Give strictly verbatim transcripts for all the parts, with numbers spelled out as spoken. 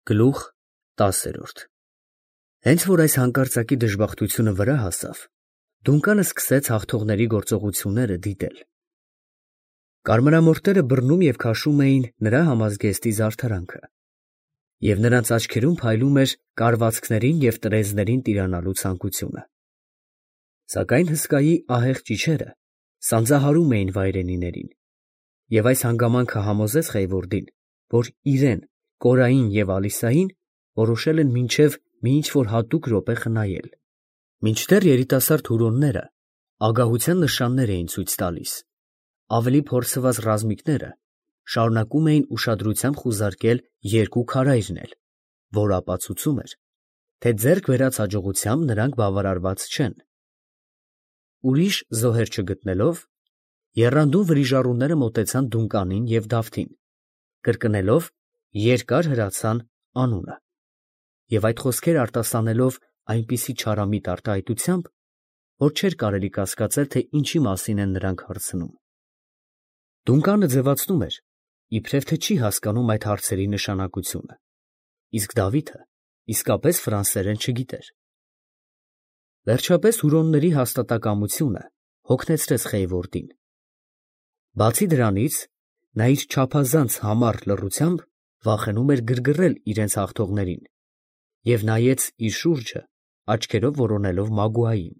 Գլուխ տասերորդ Հենց որ այս հանկարծակի դժբախտությունը վրա հասավ, Դունկանը սկսեց հաղթողների գործողությունները դիտել։ Կարմրամորթերը բռնում և քաշում էին նրա համազգեստի զարդարանքը, և նրանց աչքերում փայլում էր կարվածքներին և տրեզներին տիրանալու ցանկությունը։ Սակայն հսկայի ահեղ ճիչերը սանձահարում էին վայրենիներին, և այս հանգամանքը համոզեց Խեյվորդին, որ իրեն, Կորային և Ալիսային որոշել են մինչև մի ինչ֊որ հատուկ րոպե խնայել։ Մինչդեռ երիտասարդ հուրոնները ագահության նշաններ էին ցույց տալիս, ավելի փորձված ռազմիկները շարունակում էին ուշադրությամբ խուզարկել երկու քարայրն էլ, որ ապացուցում էր, թե ձեռք բերած հաջողությամբ նրանք բավարարված չեն։ Ուրիշ զոհեր չգտնելով, եռանդուն վրիժառուները մոտեցան Դունկանին և Դավթին, կրկնելով երկար հրացան անունը, և այդ խոսքերը արտասանելով այնպիսի չարամիտ արտահայտությամբ, որ չէր կարելի կասկածել, թե ինչի մասին են նրանք հարցնում։ Դունկանը ձևացնում էր, իբրև թե չի հասկանում այդ հարցերի նշանակությունը, իսկ Դավիթը իսկապես ֆրանսերեն չգիտեր։ Վերջապես հուրոնների հաստատակամությունը հոգնեցրեց Խեյվորդին։ Բացի դրանից, նա իր չափազանց համառ լռությամբ վախենում էր գրգռել իրենց հաղթողներին և նայեց իր շուրջը աչքերով որոնելով Մագուային,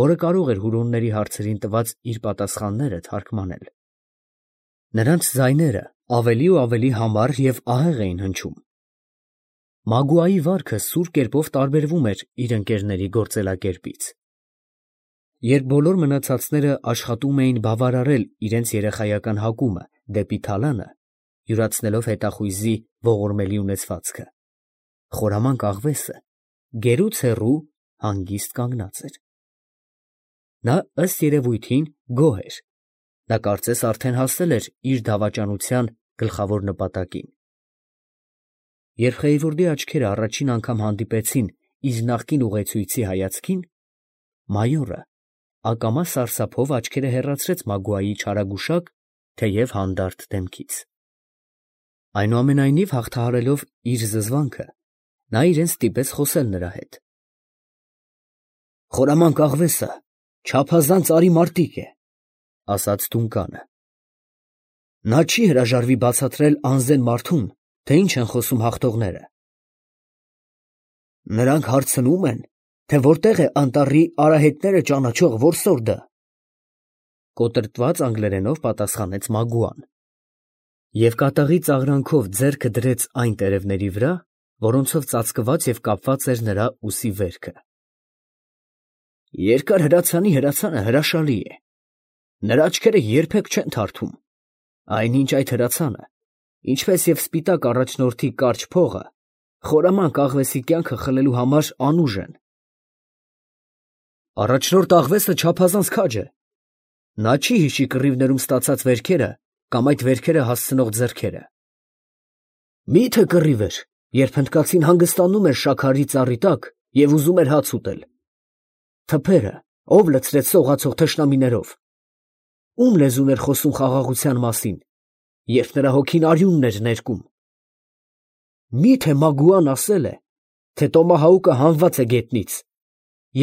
որը կարող էր հուրոնների հարցերին տված իր պատասխանները թարգմանել։ Նրանց ձայները ավելի ու ավելի համառ և ահեղ էին հնչում։ Մագուայի վարքը սուր կերպով տարբերվում էր իր ընկերների գործելակերպից։ Երբ բոլոր մնացածները աշխատում էին բավարարել իրենց երեխայական հակումը դեպի թալանը, յուրացնելով հետախույզի ողորմելի ունեցվածքը, խորամանկ աղվեսը գերուց հեռու հանգիստ կանգնած էր։ Նա ըստ երևույթին գոհ էր, նա կարծես արդեն հասել էր իր դավաճանության գլխավոր նպատակին։ Երբ Խեյվորդի աչքերը առաջին անգամ հանդիպեցին իր նախկին ուղեկցույցի հայացքին, մայորը ակամա սարսափով աչքերը հեռացրեց Մագուայի չարագուշակ, թեև հանդարտ դեմքից։ Այնուամենայնիվ, հաղթահարելով իր զզվանքը, նա իրեն ստիպեց խոսել նրա հետ։ «Խորամանկ աղվեսը չափազանց արի մարտիկ է, ֊ ասաց Դունկանը. ֊ նա չի հրաժարվի բացատրել անզեն մարդուն, թե ինչ են խոսում հաղթողները։ Նրանք հարցնում են, թե որտեղ է անտառի արահետները ճանաչող որսորդը, ֊ կոտրտված անգլերենով պատասխանեց Մագուան, և կատաղի ծաղրանքով ձեռքը դրեց այն տերևների վրա, որոնցով ծածկված և կապված էր նրա ուսի վերքը։ Երկար հրացանի հրացանը հրաշալի է, նրա աչքերը երբեք չեն թարթում, այնինչ այդ հրացանը, ինչպես և սպիտակ առաջնորդի կարճ փողը, խորամանկ աղվեսի կյանքը խլելու համար անուժ են։ Առաջնորդ աղվեսը չափազանց քաջ է, նա չի հիշի կռիվներում ստացած վերքերը կամ այդ վերքերը հասցնող ձեռքերը։ Մի՞թե կռիվ էր, երբ հնդկացին հանգստանում էր շաքարի ծառի տակ և ուզում էր հաց ուտել։ Թփերը ո՞վ լցրեց սողացող թշնամիներով։ Ո՞ւմ լեզուն էր խոսում խաղաղության մասին, երբ նրա հոգին արյունն էր ներկում։ Մի՞թե Մագուան ասել է, թե տոմահաուկը հանված է գետնից,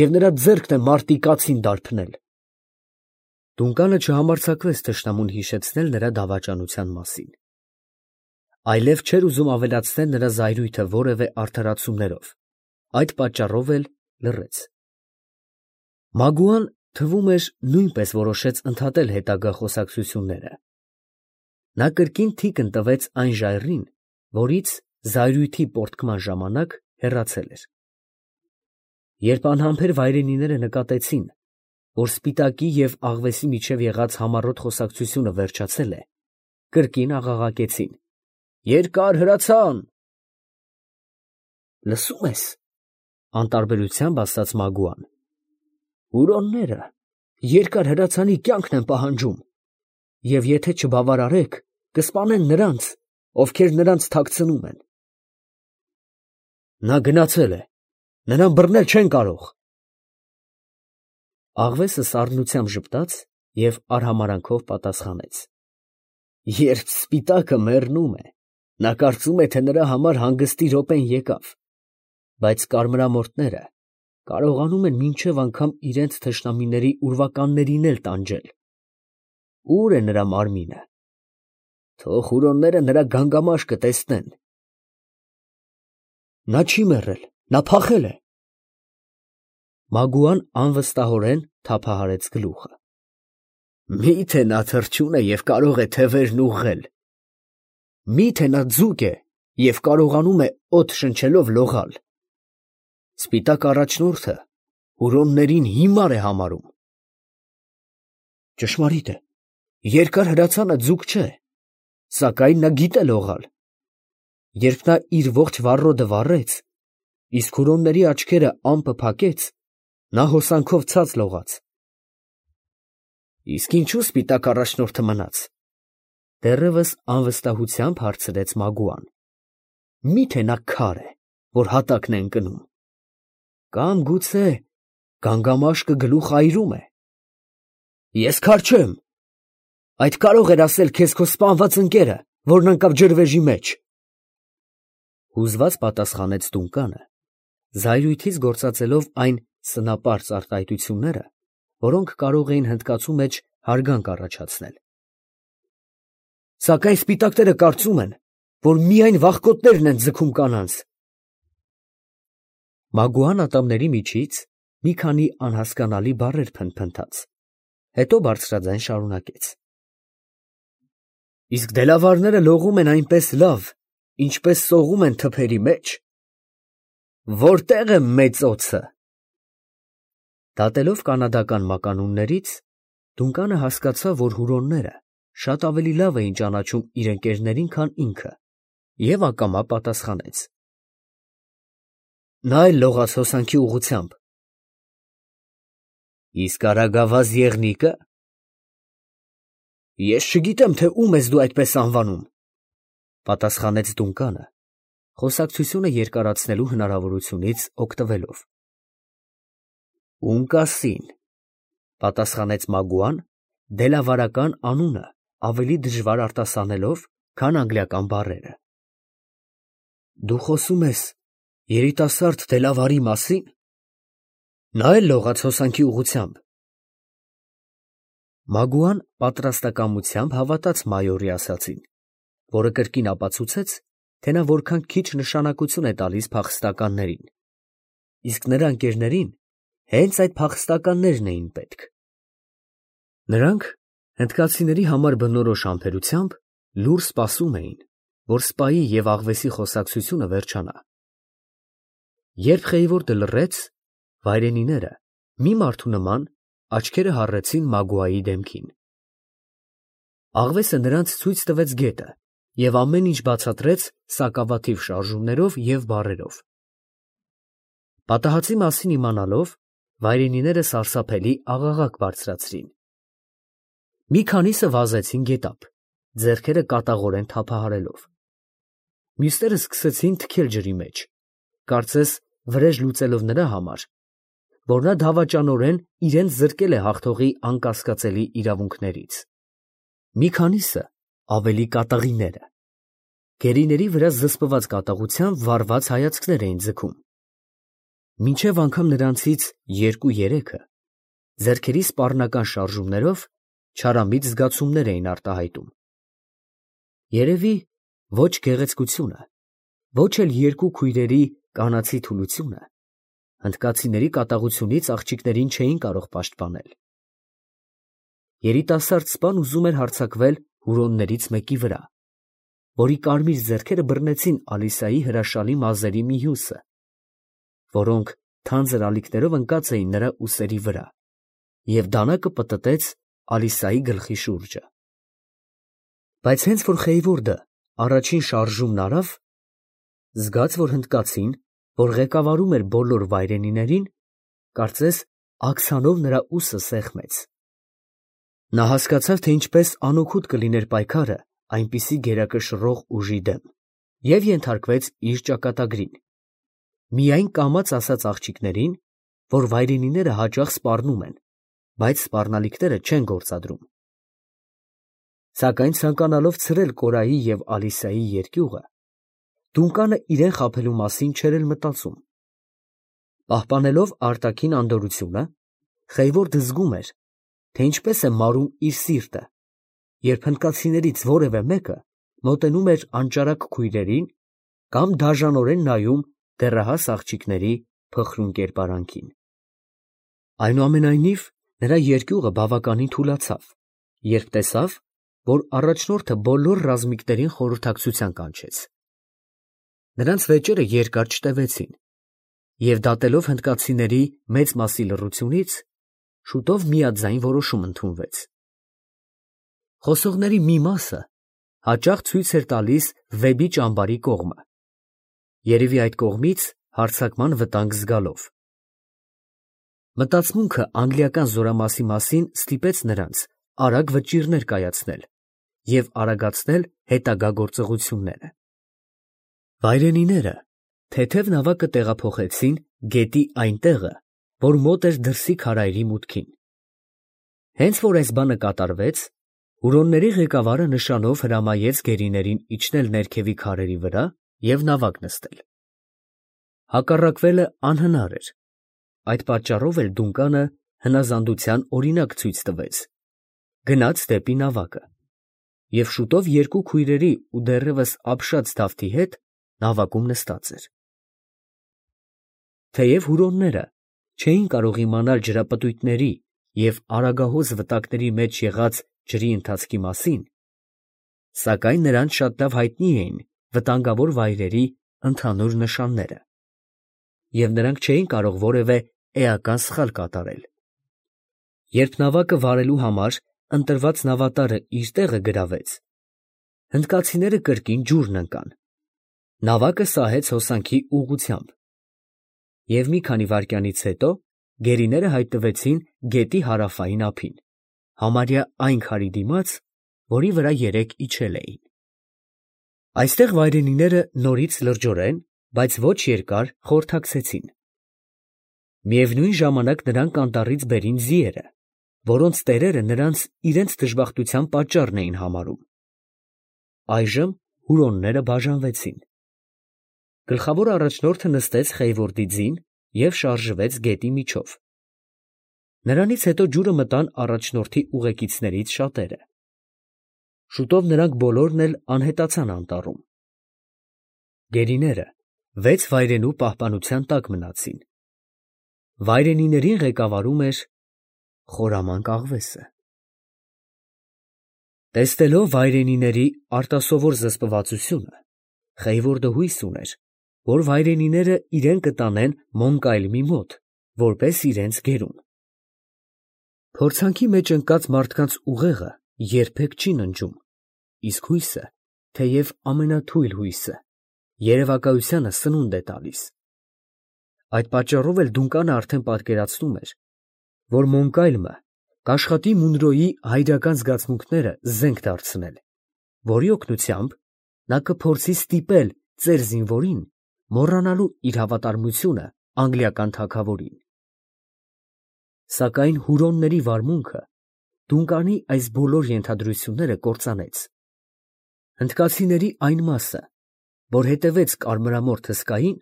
և նրա ձեռքն է մարտի կացին դարբնել։ Դունկանը չհամարձակվեց թշնամուն հիշեցնել նրա դավաճանության մասին, այլև չէր ուզում ավելացնել նրա զայրույթը որևէ արդարացումներով, այդ պատճառով էլ լռեց։ Մագուան, թվում էր, նույնպես որոշեց ընդհատել հետագա խոսակցությունները։ Նա կրկին թիկն տվեց այն ժայռին, որից զայրույթի պոռթկման ժամանակ հեռացել էր։ Երբ անհամբեր վայրենիները նկատեցին, որ սպիտակի և աղվեսի միջև եղած համառոտ խոսակցությունը վերջացել է, կրկին աղաղակեցին. «Երկար հրացան»։ Լսո՞ւմ ես, ֊ անտարբերությամբ ասաց Մագուան, հուրոնները երկար հրացանի կյանքն են պահանջում, և եթե չբավարարեք, կսպանեն նրանց, ովքեր նրանց թաքցնում են։ Նա գնացել է, նրան բռնել չեն կարող։ Աղվեսը սառնությամբ ժպտաց և արհամարհանքով պատասխանեց. Երբ սպիտակը մեռնում է, Նա կարծում է, թե նրա համար հանգստի րոպեն եկավ, բայց կարմրամորթները կարողանում են մինչև անգամ իրենց թշնամիների ուրվականներին էլ տանջել։ Ո՞ւր է նրա մարմինը։ Թող հուրոնները նրա գանգամաշկը տեսնեն։ Նա չի մեռել, նա փախել է։ Մագուան անվստահորեն թափահարեց գլուխը։ Մի՞թե նա թռչուն է և կարող է թևերն ուղղել։ Մի՞թե նա ձուկ է և կարողանում է օդ շնչելով լողալ։ Սպիտակ առաջնորդը հուրոններին հիմար է համարում։ Ճշմարիտ է, երկար հրացանը ձուկ չէ, սակայն նա գիտե լողալ։ Երբ նա իր ողջ վառոդը վառեց, իսկ հուրոնների աչքերը ամպը փակեց, նա հոսանքով ցած լողաց։ Իսկ ինչու սպիտակ առաջնորդը մնաց։ Դեռևս անվստահությամբ հարցրեց Մագուան։ Մի՞թե նա քար է, որ հատակն է ընկնում։ Կամ գուցե գանգամաշկը գլուխ այրում է։ Ես քար չեմ։ Այդ կարող էր ասել քեզ քո սպանված ընկերը, որն ընկավ ջրվեժի մեջ։ Հուզված պատասխանեց Դունկանը, զայրույթից գործածելով այն սնապարծ արտահայտությունները, որոնք կարող էին հնդկացու մեջ հարգանք առաջացնել։ Սակայն սպիտակները կարծում են, որ միայն վախկոտներն են ձգում կանանց։ Մագուան ատամների միջից մի քանի անհասկանալի բառեր փնթփնթաց, հետո բարձրաձայն շարունակեց. Իսկ դելավարները լողում են այնպես լավ, ինչպես սողում են թփերի մեջ։ Որտե՞ղ է մեծ օձը։ Դատելով կանադական մականուններից, Դունկանը հասկացավ, որ հուրոնները շատ ավելի լավ էին ճանաչում իր ընկերներին, քան ինքը, և ակամա պատասխանեց. Նա էլ լողաց հոսանքի ուղղությամբ։ Իսկ արագավազ եղնիկը։ Ես չգիտեմ, թե ում ես դու այդպես անվանում, պատասխանեց Դունկանը, խոսակցությունը երկարացնելու հնարավորությունից օգտվելով։ Ունկասին, պատասխանեց Մագուան, դելավարական անունը ավելի դժվար արտասանելով, քան անգլիական բառերը։ Դու խոսում ես երիտասարդ դելավարի մասի՞ն։ Նա էլ լողաց հոսանքի ուղղությամբ։ Մագուան պատրաստակամությամբ հավատաց մայորի ասածին, որը կրկին ապացուցեց, թե նա որքան քիչ նշանակություն է տալիս փախստականներին, իսկ նրա ընկերներին հենց այդ փախստականներն էին պետք։ Նրանք հնդկացիների համար բնորոշ համբերությամբ լուռ սպասում էին, որ սպայի և աղվեսի խոսակցությունը վերջանա։ Երբ Խեյվորդը լռեց, վայրենիները մի մարդու նման աչքերը հառեցին Մագուայի դեմքին։ Աղվեսը նրանց ցույց տվեց գետը և ամեն ինչ բացատրեց սակավաթիվ շարժումներով և բառերով։ Պատահածի մասին իմանալով, վայրենիները սարսափելի աղաղակ բարձրացրին։ Մի քանիսը վազեցին գետափ, ձեռքերը կատաղորեն թափահարելով։ Մյուսները սկսեցին թքել ջրի մեջ, կարծես վրեժ լուծելով նրա համար, որ նա դավաճանորեն իրենց զրկել է հաղթողի անկասկածելի իրավունքներից։ Մի քանիսը ավելի կատաղիները։ Գերիների վրա զսպված կատաղությամբ վառված հայացքներ էին ձգում։ Մինչև անգամ նրանցից երկու֊երեքը ձեռքերի սպառնական շարժումներով չարամիտ զգացումներ էին արտահայտում։ Երևի ոչ գեղեցկությունը, ոչ էլ երկու քույրերի կանացի թուլությունը հնդկացիների կատաղությունից աղջիկներին չէին կարող պաշտպանել։ Երիտասարդ սպան ուզում էր հարձակվել հուրոններից մեկի վրա, որի կարմիր ձեռքերը բռնեցին Ալիսայի հրաշալի մազերի մի հյուսը, որոնք թանձր ալիքներով ընկած էին նրա ուսերի վրա, և դանակը պտտեց Ալիսայի գլխի շուրջը։ Բայց հենց որ Խեյվորդը առաջին շարժումն արավ, զգաց, որ հնդկացին, որ ղեկավարում էր բոլոր վայրենիներին, կարծես աքսանով նրա ուսը սեղմեց։ Նա հասկացավ, թե ինչպես անօգուտ կլիներ պայքարը այնպիսի գերակշռող ուժի դեմ, և ենթարկվեց իր ճակատագրին, միայն կամաց ասած աղջիկներին, որ վայրենիները հաճախ սպառնում են, բայց սպառնալիքները չեն գործադրում։ Սակայն ցանկանալով ցրել Կորայի և Ալիսայի երկյուղը, Դունկանը իրեն խաբելու մասին չէր էլ մտածում։ Պահպանելով արտաքին անդորրությունը, Խեյվորդը զգում էր, թե ինչպես է մարում իր սիրտը, երբ հնդկացիներից որևէ մեկը մոտենում էր անճարակ քույրերին կամ դաժանորեն նայում դեռահաս աղջիկների փխրուն կերպարանքին։ Այնուամենայնիվ, նրա երկյուղը բավականին թուլացավ, երբ տեսավ, որ առաջնորդը բոլոր ռազմիկներին խորհրդակցության կանչեց։ Նրանց վեճերը երկար չտևեցին, և դատելով հնդկացիների մեծ մասի լռությունից, շուտով միաձայն որոշում ընդունվեց։ Խոսողների մի մասը հաճախ ցույց էր տալիս Վեբի ճամբարի կողմը, երևի այդ կողմից հարձակման վտանգ զգալով։ Մտածմունքը անգլիական զորամասի մասին ստիպեց նրանց արագ վճիռներ կայացնել և արագացնել հետագա գործողությունները։ Վայրենիները թեթև նավակը տեղափոխեցին գետի այն տեղը, որ մոտ էր դրսի քարայրի մուտքին։ Հենց որ այս բանը կատարվեց, հուրոնների ղեկավարը նշանով հրամայեց գերիներին իջնել ներքևի քարերի վրա և նավակ նստել։ Հակառակվելը անհնար էր, այդ պատճառով էլ Դունկանը հնազանդության օրինակ ցույց տվեց, գնաց դեպի նավակը, և շուտով երկու քույրերի ու դեռևս ապշած Դավթի հետ նավակում նստած էր։ Թեև հուրոնները չէին կարող իմանալ ջրապտույտների և արագահոս վտակների մեջ եղած ջրի ընթացքի մասին, սակայն նրանց շատ լավ հայտնի էին վտանգավոր վայրերի ընդհանուր նշանները, և նրանք չէին կարող որևէ էական սխալ կատարել։ Երբ նավակը վարելու համար ընտրված նավատարը իր տեղը գրավեց, հնդկացիները կրկին ջուրն ընկան, նավակը սահեց հոսանքի ուղղությամբ, և մի քանի վայրկյանից հետո գերիները հայտնվեցին գետի հարավային ափին, համարյա այն քարի դիմաց, որի վրա երեկ իջել էին։ Այստեղ վայրենիները նորից լրջորեն, բայց ոչ երկար խորհրդակցեցին։ Միևնույն ժամանակ նրանք անտառից բերին ձիերը, որոնց տերերը նրանց իրենց դժբախտության պատճառն էին համարում։ Այժմ հուրոնները բաժանվեցին։ Գլխավոր առաջնորդը նստեց Խեյվորդի ձին և շարժվեց գետի միջով։ Նրանից հետո ջուրը մտան առաջնորդի ուղեկիցներից շատերը։ Շուտով նրանք բոլորն էլ անհետացան անտառում։ Գերիները վեց վայրենու պահպանության տակ մնացին։ Վայրենիներին ղեկավարում էր խորամանկ աղվեսը։ Տեսնելով վայրենիների արտասովոր զսպվածությունը, Խեյվորդը հույս ուներ, որ վայրենիները իրեն կտանեն Մոնկայլմի մոտ, որպես իրենց գերուն։ Փորձանքի մեջ ընկած մարդկանց ուղեղը երբեք չի ննջում, իսկ հույսը, թեև ամենաթույլ հույսը, երևակայությանը սնունդ է տալիս։ Այդ պատճառով էլ Դունկանը արդեն պատկերացնում էր, որ Մոնկայլմը կաշխատի Մունրոյի հայրական զգացմունքները զենք դարձնել, որի օգնությամբ նա կփորձի ստիպել ծեր զինվորին մոռանալու իր հավատարմությունը անգլիական թագավորին։ Սակայն հուրոնների վարմունքը Դունկանի այս բոլոր ենթադրությունները կործանեց։ Հնդկացիների այն մասը, որ հետևեց կարմրամորթ հսկային,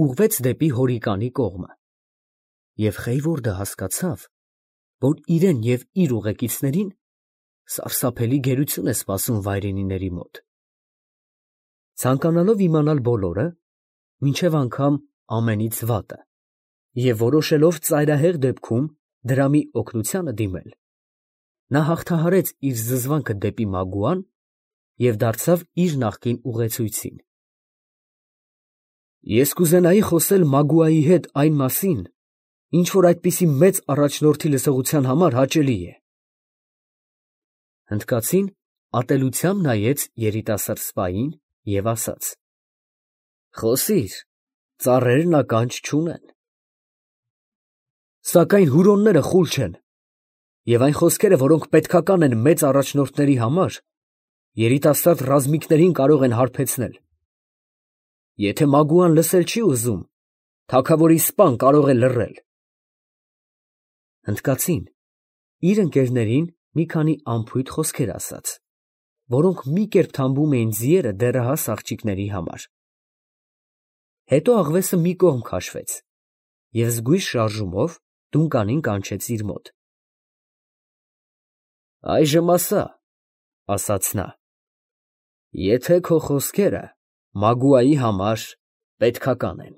ուղղվեց դեպի Հորիկանի կողմը, և Խեյվորդը հասկացավ, որ իրեն և իր ուղեկիցներին սարսափելի գերություն է սպասում վայրենիների մոտ։ Ցանկանալով իմանալ բոլորը, մինչև անգամ ամենից վատը, և որոշելով ծայրահեղ դեպքում դրամի օգնությանը դիմել, նա հաղթահարեց իր զզվանքը դեպի Մագուան և դարձավ իր նախկին ուղեցույցին։ Ես կուզենայի խոսել Մագուայի հետ այն մասին, ինչ որ այդպիսի մեծ առաջնորդի լսողության համար հաճելի է։ Հնդկացին ատելությամբ նայեց երիտասարդ սպային և ասաց. «Խոսիր, ծառերն ականջ չունեն»։ Սակայն հուրոնները խուլ չեն, և այն խոսքերը, որոնք պետքական են մեծ առաջնորդների համար, երիտասարդ ռազմիկներին կարող են հարբեցնել։ Եթե Մագուան լսել չի ուզում, թագավորի սպան կարող է լռել։ Հնդկացին իր ընկերներին մի քանի անփույթ խոսքեր ասաց, որոնք մի կերպ թամբում էին ձիերը դեռահաս աղջիկների համար, Հետո աղվեսը մի կողմ քաշվեց և զգույշ շարժումով տունկանին կանչեց իր մոտ։ «Այժմ ասա, ֊ ասաց նա, ֊ եթե քո խոսքերը Մագուայի համար պետքական են»։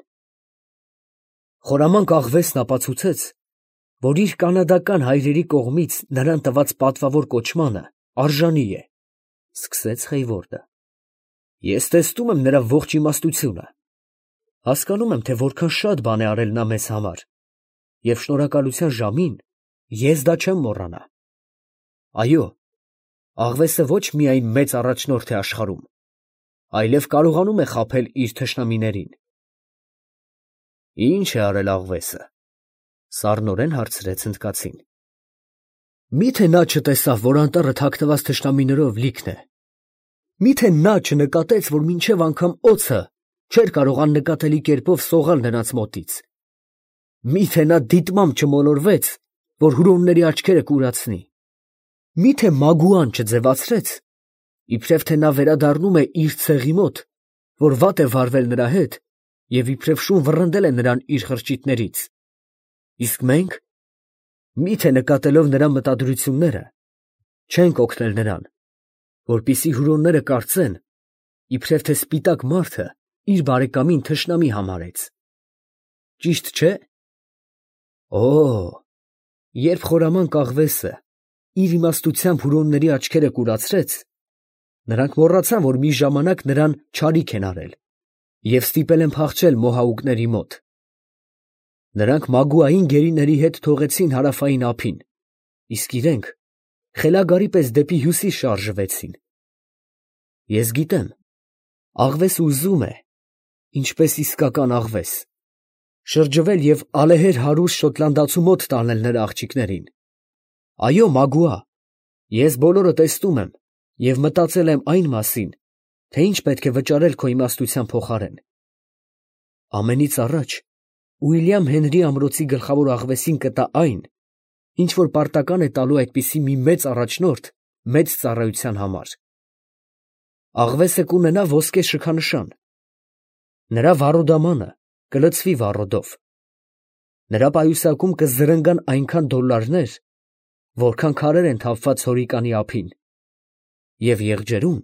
Խորամանկ աղվեսն ապացուցեց, որ իր կանադական հայրերի կողմից նրան տված պատվավոր կոչմանը արժանի է։ Սկսեց Խեյվորդը. Ես տեսնում եմ նրա ողջ իմաստությունը, հասկանում եմ, թե որքան շատ բան է արել նա մեզ համար, և շնորհակալության ժամին ես դա չեմ մոռանա։ Այո, աղվեսը ոչ միայն մեծ առաջնորդ է աշխարհում, այլև կարողանում է խաբել իր թշնամիներին։ Ի՞նչ է արել աղվեսը, ֊ սառնորեն հարցրեց հնդկացին։ Մի՞թե նա չտեսավ, որ անտառը թաքնված թշնամիներով լիքն է։ Մի՞թե նա չնկատեց, որ մինչև անգամ օձը չէր կարող աննկատելի կերպով սողալ նրանց մոտից։ Մի՞թե նա դիտմամբ չմոլորվեց, որ հուրոնների աչքերը կուրացնի։ Մի՞թե Մագուան չձևացրեց, իբրև թե նա վերադառնում է իր ցեղի մոտ, որ վատ է վարվել նրա հետ և իբրև շուն վռնդել է նրան իր խրճիթներից։ Իսկ մենք, մի՞թե նկատելով նրա մտադրությունները, չենք օգնել նրան, որպեսզի հուրոնները կարծեն, իբրև թե սպիտակ մարդը իր բարեկամին թշնամի համարեց։ Ճիշտ չէ՞։ Օ, երբ խորամանկ աղվեսը իր իմաստությամբ հուրոնների աչքերը կուրացրեց, նրանք մոռացան, որ մի ժամանակ նրան չարիք են արել և ստիպել են փախչել մոհաուկների մոտ։ Նրանք Մագուային գերիների հետ թողեցին հարավային ափին, իսկ իրենք խելագարի պես դեպի հյուսիս շարժվեցին։ Ես գիտեմ, աղվեսը ուզում է, ինչպես իսկական աղվես, շրջվել և ալեհեր հարուստ շոտլանդացու մոտ տանել նրա աղջիկներին։ Այո, Մագուա, ես բոլորը տեսնում եմ և մտածել եմ այն մասին, թե ինչ պետք է վճարել քո իմաստության փոխարեն։ Ամենից առաջ Ուիլյամ Հենրի ամրոցի գլխավոր աղվեսին կտա այն, ինչ որ պարտական է տալու այդպիսի մի մեծ առաջնորդ մեծ ծառայության համար։ Աղվեսը կունենա ոսկե շքանշան։ Նրա վառոդամանը կլցվի վառոդով։ Նրա պայուսակում կզրնգան այնքան դոլլարներ, որքան քարեր են թափված հորիկանի ափին, և եղջերուն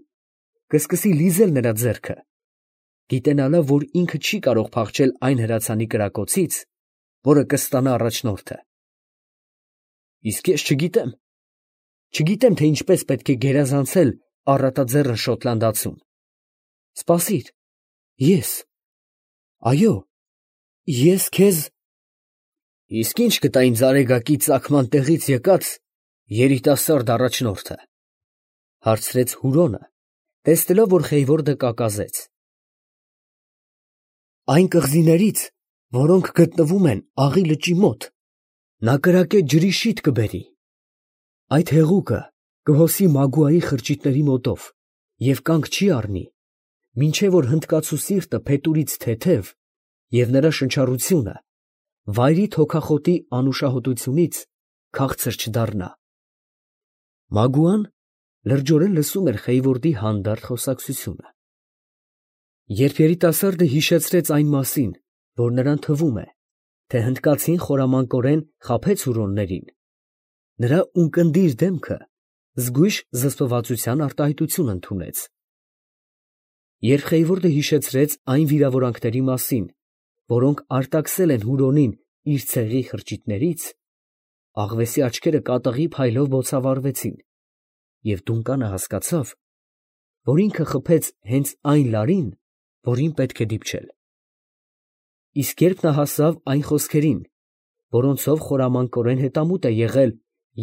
կսկսի լիզել նրա ձեռքը, գիտենալով, որ ինքը չի կարող փախչել այն հրացանի կրակոցից, որը կստանա առաջնորդը։ Իսկ ես չգիտեմ, չգիտեմ, թե ինչպես պետք է գերազանցել առատաձեռն շոտլանդացուն։ Սպասիր, ես, այո, ես քեզ… Իսկ ի՞նչ կտա ինձ Արեգակի ծագման տեղից եկած երիտասարդ առաջնորդը, ֊ հարցրեց Հուրոնը, տեսնելով, որ Խեյվորդը կակազեց։ Այն կղզիներից, որոնք գտնվում են Աղի լճի մոտ, նա կրակե ջրի շիթ կբերի։ Այդ հեղուկը կհոսի Մագուայի խրճիթների մոտով և կանգ չի առնի, մինչև որ հնդկացու սիրտը փետուրից թեթև և նրա շնչառությունը վայրիդ հոգախոտի անուշահոտությունից քաղցր չդառնա։ Մագուան լրջորեն լսում էր Խեյվորդի հանդարտ խոսակցությունը։ Երբ երիտասարդը հիշեցրեց այն մասին, որ նրան թվում է, թե հնդկացին խորամանկորեն խաբեց հուրոններին, նրա ունկնդիր դեմքը զգույշ զսպվածության արտահայտություն ընդունեց։ Երբ Խեյվորդը հիշեցրեց այն վիրավորանքների մասին, որոնք արտաքսել են Հուրոնին իր ցեղի խրճիթներից, աղվեսի աչքերը կատաղի փայլով բոցավառվեցին, և տունականը հասկացավ, որ ինքը խփեց հենց այն լարին, որին պետք է դիպչել։ Իսկ երբ նա հասավ այն խոսքերին, որոնցով խորամանկորեն հետամուտ է եղել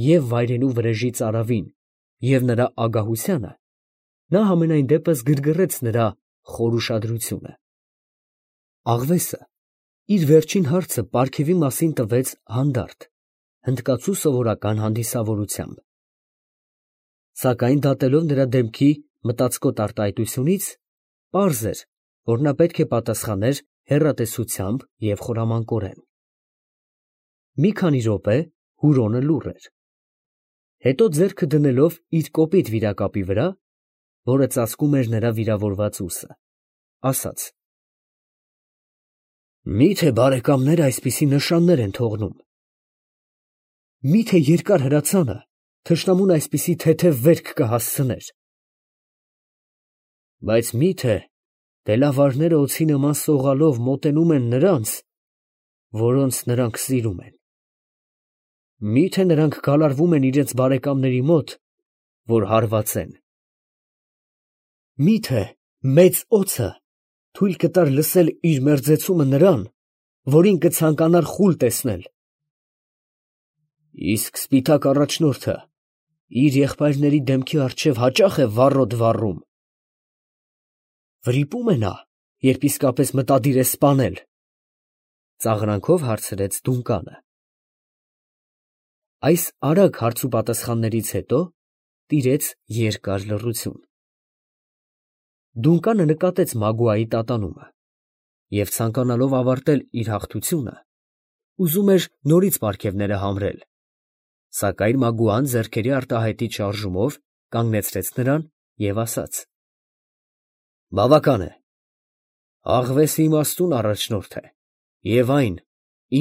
և վայրենու Վրեժի ծարավին, և նրա ագահությանը, նա համենայն դեպս գրգռեց նրա խոր ուշադրությունը։ Աղվեսը իր վերջին հարցը պարգևի մասին տվեց հանդարտ, հնդկացու սովորական հանդիսավորությամբ։ Սակայն դատելով նրա դեմքի մտածկոտ արտահայտությունից, պարզ էր, որ նա պետք է պատասխաներ հեռատեսությամբ և խորամանկորեն։ Մի քանի րոպե Հուրոնը լուռ էր։ Հետո ձեռքը դնելով իր կոպիտ վիրակապի վրա, որը ծածկում էր նրա վիրավորված ուսը, ասաց. Մի՞թե բարեկամները այսպիսի նշաններ են թողնում։ Մի՞թե երկար հրացանը թշնամուն այսպիսի թեթև վերք կհասցներ։ Բայց մի՞թե դելավարները օձի նման սողալով մոտենում են նրանց, որոնց նրանք սիրում են։ Մի՞թե նրանք գալարվում են իրենց բարեկամների մոտ, որ հարված են։ Մի՞թե մեծ օձը թույլ կտար լսել իր մերձեցումը նրան, որին կցանկանար խուլ տեսնել։ Իսկ սպիտակ առաջնորդը իր եղբայրների դեմքի առջև հաճա՞խ է վառոդ վառում։ Վրիպո՞ւմ է նա, երբ իսկապես մտադիր է սպանել, ծաղրանքով հարցրեց Դունկանը։ Այս արագ հարցուպատասխաններից հետո տիրեց երկար լռություն։ Դունկանը նկատեց Մագուայի տատանումը և ցանկանալով ավարտել իր հաղթությունը, ուզում էր նորից պարգևները համրել, սակայն Մագուան ձեռքերի արտահայտիչ շարժումով կանգնեցրեց նրան և ասաց. «Բավական է, աղվեսը իմաստուն առաջնորդ է և այն,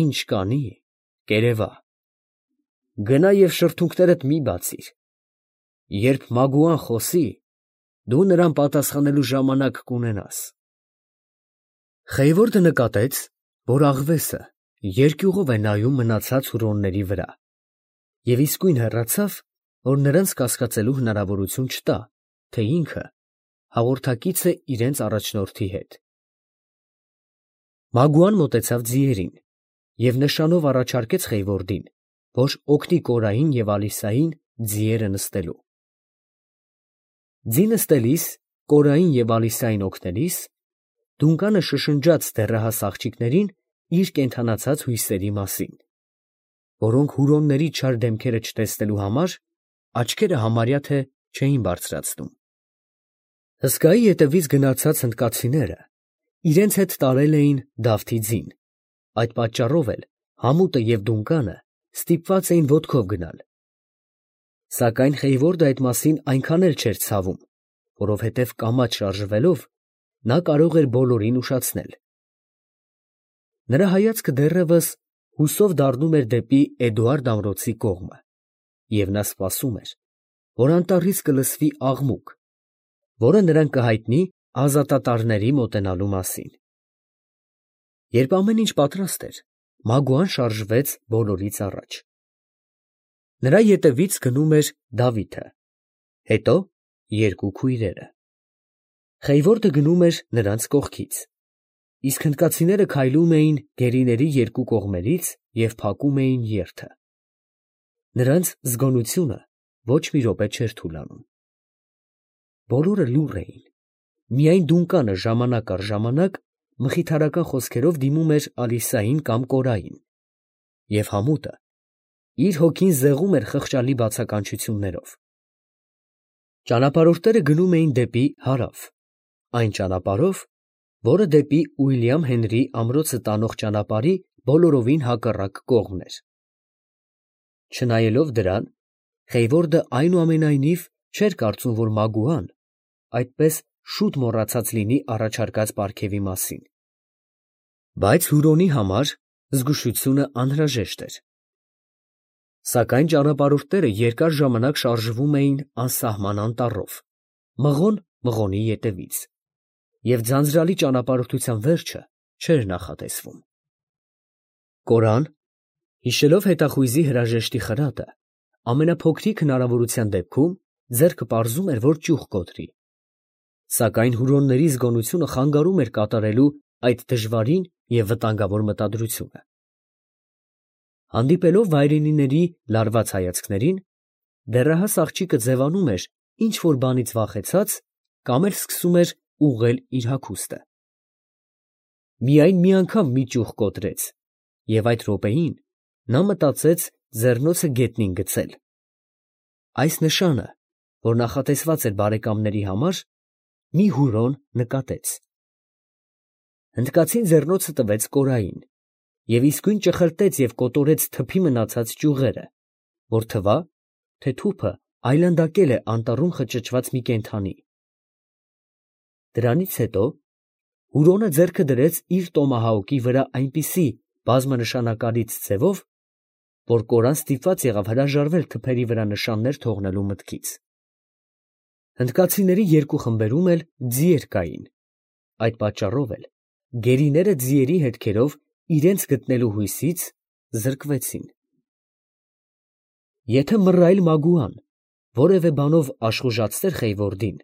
ինչ կանի, կերևա։ Գնա և շրթունքներդ մի բացիր. երբ Մագուան խոսի, դու նրան պատասխանելու ժամանակ կունենաս»։ Խեյվորդը նկատեց, որ աղվեսը երկյուղով է նայում մնացած հուրոնների վրա, և իսկույն հեռացավ, որ նրանց կասկածելու հնարավորություն չտա, թե ինքը հաղորդակից է իրենց առաջնորդի հետ։ Մագուան մոտեցավ ձիերին և նշանով առաջարկեց Խեյվորդին, որ օգնի Կորային և Ալիսային ձիերը նստելու։ Ձի նստելիս, Կորային և Ալիսային օգնելիս, Դունկանը շշնջաց դեռահաս աղջիկներին իր կենդանացած հույսերի մասին, որոնք հուրոնների չար դեմքերը չտեսնելու համար աչքերը համարյա թե չէին բարձրացնում։ Հսկայի ետևից գնացած հնդկացիները իրենց հետ տարել էին Դավթի ձին, այդ պատճառով էլ Համուտը և Դունկանը ստիպված էին ոտքով գնալ։ Սակայն Խեյվորդը այդ մասին այնքան էլ չէր ցավում, որովհետև կամաց շարժվելով նա կարող էր բոլորին ուշացնել։ Նրա հայացքը դեռևս հուսով դառնում էր դեպի Էդուարդ ամրոցի կողմը, և նա սպասում էր, որ անտառից կլսվի աղմուկ, որը նրան կհայտնի ազատատարների մոտենալու մասին։ Երբ ամեն ինչ պատրաստ էր, Մագուան շարժվեց բոլորից առաջ։ Նրա ետևից գնում էր Դավիթը, հետո երկու քույրերը։ Խեյվորդը գնում էր նրանց կողքից, իսկ հնդկացիները քայլում էին գերիների երկու կողմերից և փակում էին երթը։ Նրանց զգոնությունը ոչ մի րոպե չէր թուլանում։ Բոլորը լուռ էին, միայն Դունկանը ժամանակ առ ժամանակ մխիթարական խոսքերով դիմում էր Ալիսային կամ Կորային, և Համուտը իր հոգին զեղում էր խղճալի բացականչություններով։ Ճանապարհորդները գնում էին դեպի հարավ, այն ճանապարհով, որը դեպի Ուիլյամ Հենրիի ամրոցը տանող ճանապարհի բոլորովին հակառակ կողմն էր։ Չնայելով դրան, Խեյվորդը այնուամենայնիվ չէր կարծում, որ Մագուան այդպես շուտ մոռացած լինի առաջարկած պարգևի մասին։ Բայց հուրոնի համար զգուշությունը անհրաժեշտ էր։ Սակայն ճանապարհորդները երկար ժամանակ շարժվում էին անսահման անտառով, մղոն մղոնի ետևից, և ձանձրալի ճանապարհորդության վերջը չէր նախատեսվում։ Կորան, հիշելով հետախույզի հրաժեշտի խրատը, ամենափոքրիկ հնարավորության դեպքում ձեռքը պարզում էր, որ ճյուղ կոտրի, սակայն հուրոնների զգոնությունը խանգարում էր կատարելու այդ դժվարին և վտանգավոր մտադրությունը։ Հանդիպելով վայրենիների լարված հայացքներին, դեռահաս աղջիկը ձևանում էր ինչ֊որ բանից վախեցած կամ էլ սկսում էր ուղղել իր հագուստը։ Միայն մի անգամ մի ճյուղ կոտրեց, և այդ րոպեին նա մտածեց ձեռնոցը գետնին գցել։ Այս նշանը, որ նախատեսված էր բարեկամների համար, մի հուրոն նկատեց։ Հնդկացին ձեռնոցը տվեց Կորային և իսկույն ճխլտեց և կոտորեց թփի մնացած ճյուղերը, որ թվա, թե թուփը այլանդակել է անտառում խճճված մի կենդանի։ Դրանից հետո Հուրոնը ձեռքը դրեց իր տոմահաուկի վրա այնպիսի բազմանշանակալից ձևով, որ կորան ստիպված եղավ հրաժարվել թփերի վրա նշաններ թողնելու մտքից։ Հնդկացիների երկու խմբերում էլ ձիեր կային, այդ պատճառով էլ գերիները ձիերի հետքերով իրենց գտնելու հույսից զրկվեցին։ Եթե Մռայլ Մագուան որևէ բանով աշխուժացներ Խեյվորդին,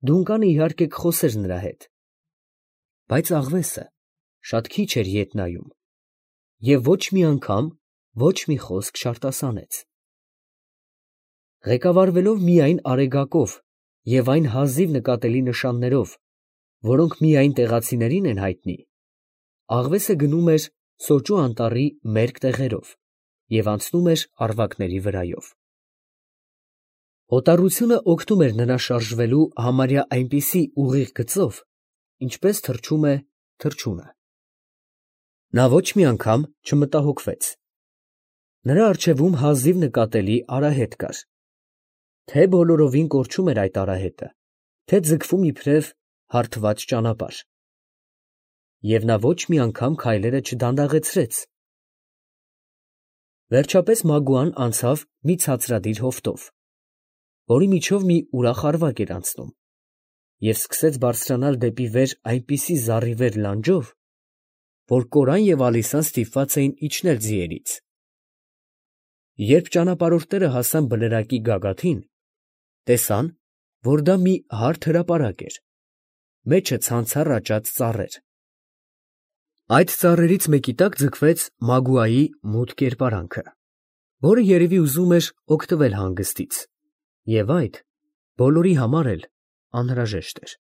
Դունկանը իհարկե կխոսեր նրա հետ, բայց աղվեսը շատ քիչ էր ետ նայում և ոչ մի անգամ ոչ մի խոսք չարտասանեց։ Ղեկավարվելով միայն Արեգակով և այն հազիվ նկատելի նշաններով, որոնք միայն տեղացիներին են հայտնի, աղվեսը գնում էր Սոճու անտառի մերկ տեղերով և անցնում էր առվակների վրայով։ Օտարությունը օգնում էր նրան շարժվելու համարյա այնպիսի ուղիղ գծով, ինչպես թռչում է թռչունը։ Նա ոչ մի անգամ չմտահոգվեց։ Նրա առջևում հազիվ նկատելի արահետ կար։ Թե բոլորովին կորչում էր այդ արահետը, թե ձգվում իբրև հարթված ճանապարհ։ Եվ նա ոչ մի անգամ քայլերը չդանդաղեցրեց։ Վերջապես Մագուան անցավ մի ցածրադիր հովտով, որի միջով մի ուրախ առվակ էր անցնում, և սկսեց բարձրանալ դեպի վեր այնպիսի զառիվեր լանջով, որ Կորան և Ալիսան ստիպված էին իջնել ձիերից։ Երբ ճանապարհորդները հասան բլրակի գագաթին, տեսան, որ դա մի հարթ հրապարակ էր, մեջը ցանցառ աճած ծառեր։ Այդ ծառերից մեկի տակ ձգվեց Մագուայի մութ կերպարանքը, որը երևի ուզում էր օգտվել հանգստից, և այդ բոլորի համար էլ անհրաժեշտ էր։